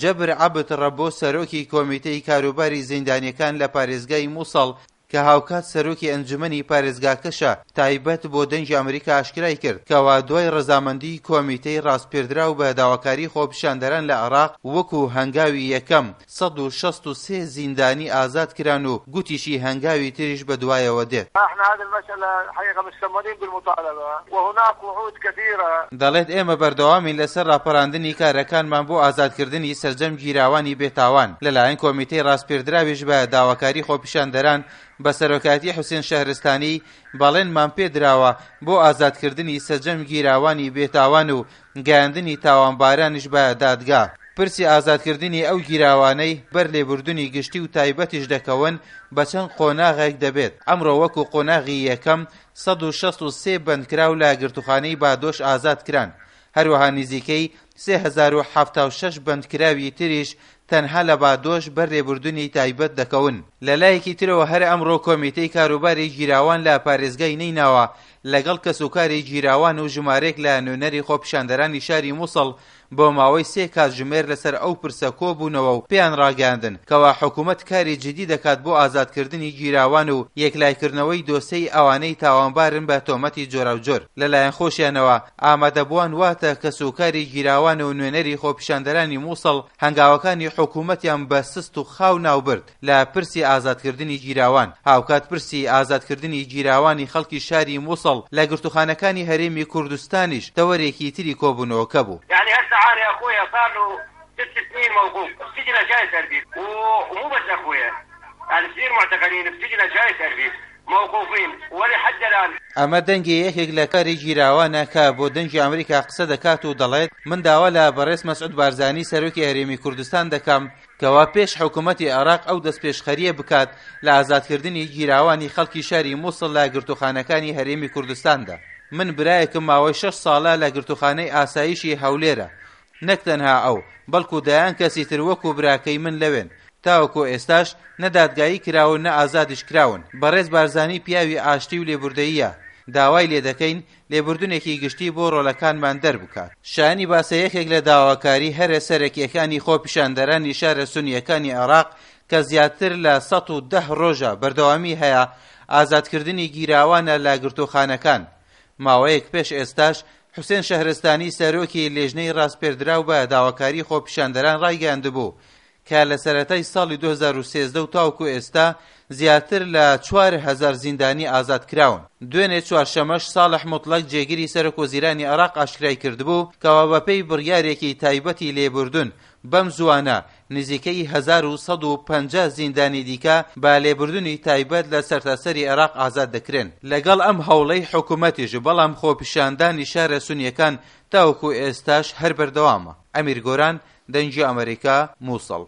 جەبر عەبد ڕەبۆ سەرۆکی کۆمیتەی کاروباری زیندانیەکان لە پارێزگای موسڵ کە هاوکات سەرۆکی ئەنجومەنی پارێزگاکەشە تایبەت بۆ دەنگی ئەمریکا ئاشکرای کرد کەوا دوای ڕەزامەندی کۆمیتەی ڕاسپێردراو بە داواکاری خۆپیشاندەران لە عێراق وەکو هەنگاوی یەکەم 163 زیندانی ئازاد کران و گوتیشی هەنگاوی تریش بەدوایەوە دێت. دەڵێت ئێمە بەردەوامین لەسەر ڕاپەراندنی کارەکانمان بۆ ئازادکردنی سەرجەم گیراوانی بێتاوان، لەلایەن کۆمیتەی ڕاسپێردراویش بە داواکاری خۆپیشاندەران بە سەرۆکایەتی حوسێن شەهرستانی بەڵێنمان پێدراوە بۆ ئازادکردنی سەرجەم گیراوانی بێتاوان و گەیاندنی تاوانبارانیش بە دادگا. پرسی ئازادکردنی ئەو گیراوانەی بەر لێبوردنی گشتی و تایبەتیش دەکەون بە چەند قۆناغێک دەبێت، ئەمڕۆ وەکو قۆناغی یەکەم 163 بەندکراو لە گرتوخانەی بادۆش ئازاد کران، هەروەها نزیکەی 3076 بەندکراوی تریش تەنها لە بادۆش بەر لێبوردنی تایبەت دەکەون. لەلایەکی ترەوە هەر ئەمڕۆ کۆمیتەی کاروباری گیراوان لە پارێزگای نەیناوا لەگەڵ کەسوکاری گیراوان و ژمارەیەک لە نوێنەری خۆپیشاندەرانی شاری موسڵ بۆ ماوەی سێ کاتژمێر لەسەر ئەو پرسە کۆبوونەوە و پێیان ڕاگەیاندن کەوا حکومەت کاری جدی دەکات بۆ ئازادکردنی گیراوان و یەکلایکردنەوەی دۆسێی ئەوانەی تاوانبارن بە تۆمەتی جۆراوجۆر. لەلایەن خۆشیانەوە ئامادەبووان واتە کەسوکاری گیراوان و نوێنەری خۆپیشاندەرانی موسڵ هەنگاوەکانی حکومەتیان بە سست و خاو ناوبرد لە پرسی ئازادکردنی گیراوان، هاوکات پرسی ئازادکردنی گیراوانی خەڵکی شاری موسڵ لە گرتوخانەکانی هەرێمی کوردستانیش تەوەرێکی تری کۆبوونەوەکە بوو. یعنی هسه اني اخويا صار له ست سنين موقوف بسجن عشاير اربيل ومو بس اخويا يعني كثير معتقلين بسجن عشاير اربيل موقوفين ولحد الان. ئەمە دەنگی یەکێک لە کاری گیراوانە کە بۆ دەنگی ئەمریکا قسە دەکات و دەڵێت من داوا لە بەڕێز مەسعود بارزانی سەرۆکی هەرێمی کوردستان دەکەم کەوا پێش حکومەتی عێراق ئەو دەستپێشخەرییە بکات لە ئازادکردنی گیراوانی خەڵکی شاری موسڵ لە گرتوخانەکانی هەرێمی کوردستاندا. من برایەکم ماوەی شەش ساڵە لە گرتوخانەی ئاسایشی هەولێرە، نەک تەنها ئەو، بەڵکو دەیان کەسی تر وەکو براکەی من لەوێن، تاوەکو ئێستاش نە دادگایی کراون نە ئازادیش کراون. بەڕێز بارزانی پیاوی ئاشتی و لێبوردەییە، داوای لێدەکەین لێبوردنێکی گشتی بۆ ڕۆڵەکانمان دەربکات. شایانی باسە یەکێک لە داواکاری هەرە سەرەکییەکانی خۆپیشاندەرانی شارە سونییەکانی عێراق کە زیاتر لە 110 ڕۆژە بەردەوامی هەیە، ئازادکردنی گیراوانە لە گرتووخانەکان. ماوەیەک پێش ئێستاش حوسێن شەهرستانی سەرۆکی لێژنەی ڕاسپێردراو بە داواکاری خۆپیشاندەران ڕایگەیاندبوو کە لە سەرەتای ساڵی 2013 و تاوەکو ئێستا زیاتر لە 4000 زیندانی ئازاد کراون. دوێنێ چوارشەمەش ساڵح موتڵەگ جێگری سەرۆک وەزیرانی عێراق ئاشکرای کردبوو کەوا بەپێی بڕیارێکی تایبەتی لێبوردن بەم زووانە نزیکەی 1150 زیندانی دیکە بە لێبوردنی تایبەت لە سەرتاسەری عێراق ئازاد دەکرێن. لەگەڵ ئەم هەوڵەی حکومەتیش بەڵام خۆپیشاندانی شارە سونییەکان تاوەکو ئێستاش هەر بەردەوامە. ئەمیر گۆران، دەنگی ئەمەریکا، موسڵ.